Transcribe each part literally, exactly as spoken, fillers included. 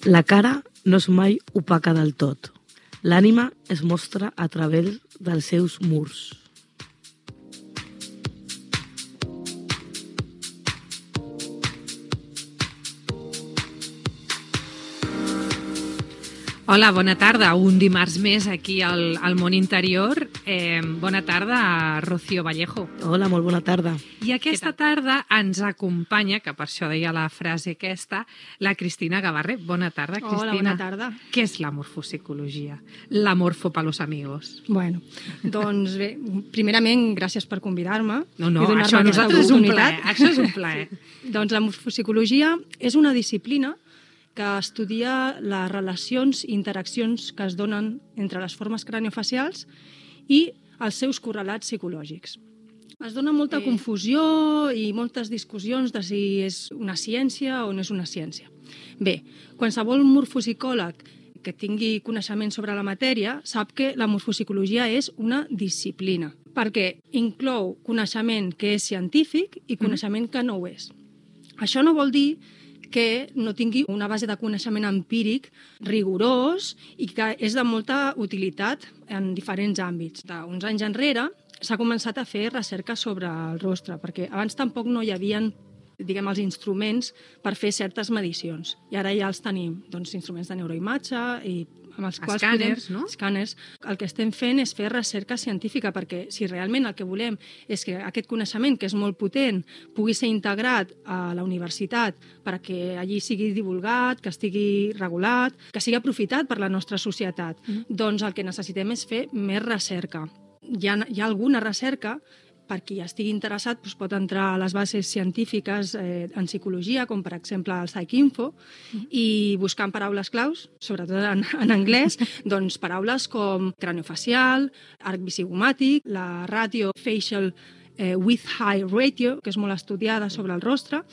La cara no és mai opaca del tot. L'ànima es mostra a través dels seus murs. Hola, bona tarda. Un dimarts més aquí al, al Món Interior. Eh, bona tarda a Rocío Vallejo. Hola, molt bona tarda. I aquesta tarda ens acompanya, que per això deia la frase aquesta, la Cristina Gavarre. Bona tarda, Cristina. Hola, bona tarda. Què és la morfopsicologia? La morfo pa los amigos. Bueno, doncs bé, primerament, gràcies per convidar-me. No, no, i això a nosaltres és un plaer. Això és un plaer. Doncs la morfopsicologia és una disciplina que estudia les relacions i interaccions que es donen entre les formes craniofacials i els seus correlats psicològics. Es dona molta confusió i moltes discussions de si és una ciència o no és una ciència. Bé, qualsevol morfopsicòleg que tingui coneixement sobre la matèria sap que la morfopsicologia és una disciplina, perquè inclou coneixement que és científic i coneixement que no ho és. Això no vol dir que no tingui una base de coneixement empíric rigorós i que és de molta utilitat en diferents àmbits. Uns anys enrere s'ha començat a fer recerca sobre el rostre, perquè abans tampoc no hi havia, diguem, els instruments per fer certes medicions. I ara ja els tenim, doncs, instruments de neuroimatge i amb els quals escàners, podem... no? Escàners. El que estem fent és fer recerca científica, perquè si realment el que volem és que aquest coneixement, que és molt potent, pugui ser integrat a la universitat perquè allí sigui divulgat, que estigui regulat, que sigui aprofitat per la nostra societat, mm. doncs el que necessitem és fer més recerca. Hi ha, hi ha alguna recerca per qui estigui interessat, doncs pot entrar a les bases científiques eh, en psicologia, com per exemple el PsycInfo, mm. i buscant paraules claus, sobretot en, en anglès, doncs paraules com craniofacial, arc visigomàtic, la ratio facial eh, width high ratio, que és molt estudiada sobre el rostre,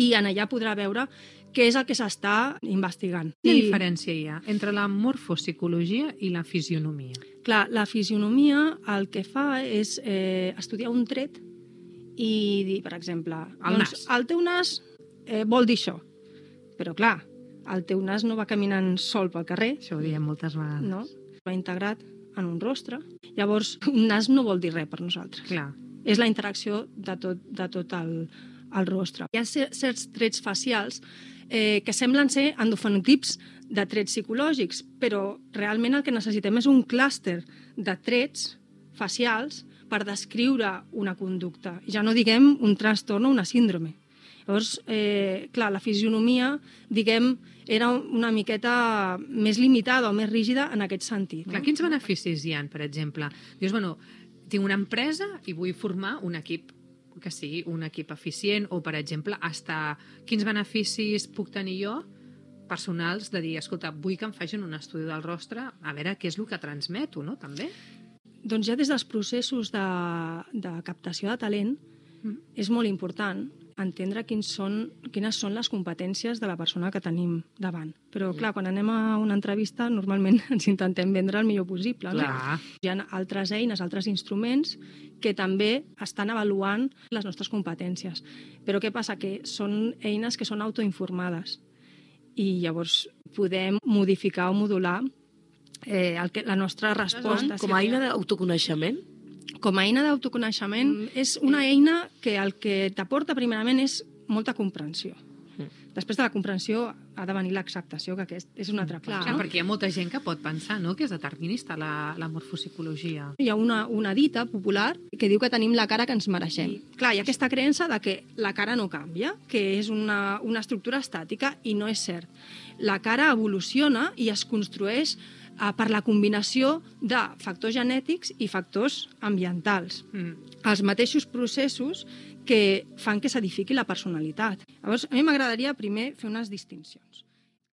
i en allà podrà veure què és el que s'està investigant. Quina I... diferència hi ha entre la morfopsicologia i la fisionomia? Clar, la fisionomia el que fa és eh, estudiar un tret i dir, per exemple, el doncs, nas. El teu nas eh, vol dir això. Però clar, el teu nas no va caminant sol pel carrer. Això ho diem moltes vegades. No, va integrat en un rostre. Llavors, un nas no vol dir res per nosaltres. Clar. És la interacció de tot, de tot el, el rostre. Hi ha certs trets facials eh, que semblen ser endofenotips de trets psicològics, però realment el que necessitem és un clúster de trets facials per descriure una conducta. Ja no diguem un trastorn o una síndrome. Llavors, eh, clar, la fisionomia, diguem, era una miqueta més limitada o més rígida en aquest sentit. Clar, no? Quins beneficis hi ha, per exemple? Dius, bueno, tinc una empresa i vull formar un equip que sigui un equip eficient o, per exemple, hasta quins beneficis puc tenir jo personals de dir, escolta, vull que em facin un estudi del rostre, a veure què és el que transmeto, no?, també? Doncs ja des dels processos de, de captació de talent mm. és molt important entendre quins són, quines són les competències de la persona que tenim davant. Però, mm. clar, quan anem a una entrevista, normalment ens intentem vendre el millor possible. No? Clar. Hi ha altres eines, altres instruments que també estan avaluant les nostres competències. Però què passa? Que són eines que són autoinformades. I llavors podem modificar o modular eh, el que, la nostra resposta. Com a eina d'autoconeixement? Com a eina d'autoconeixement mm. és una eina que el que t'aporta primerament és molta comprensió. Mm. Després de la comprensió ha de venir l'acceptació, que aquest és una altra cosa. Clar, no? Perquè hi ha molta gent que pot pensar, no?, que és determinista la, la morfopsicologia. Hi ha una, una dita popular que diu que tenim la cara que ens mereixem. I, clar, hi ha aquesta creença de que la cara no canvia, que és una, una estructura estàtica, i no és cert. La cara evoluciona i es construeix eh, per la combinació de factors genètics i factors ambientals. Mm. Els mateixos processos que fan que s'edifiqui la personalitat. Llavors, a mi m'agradaria primer fer unes distincions.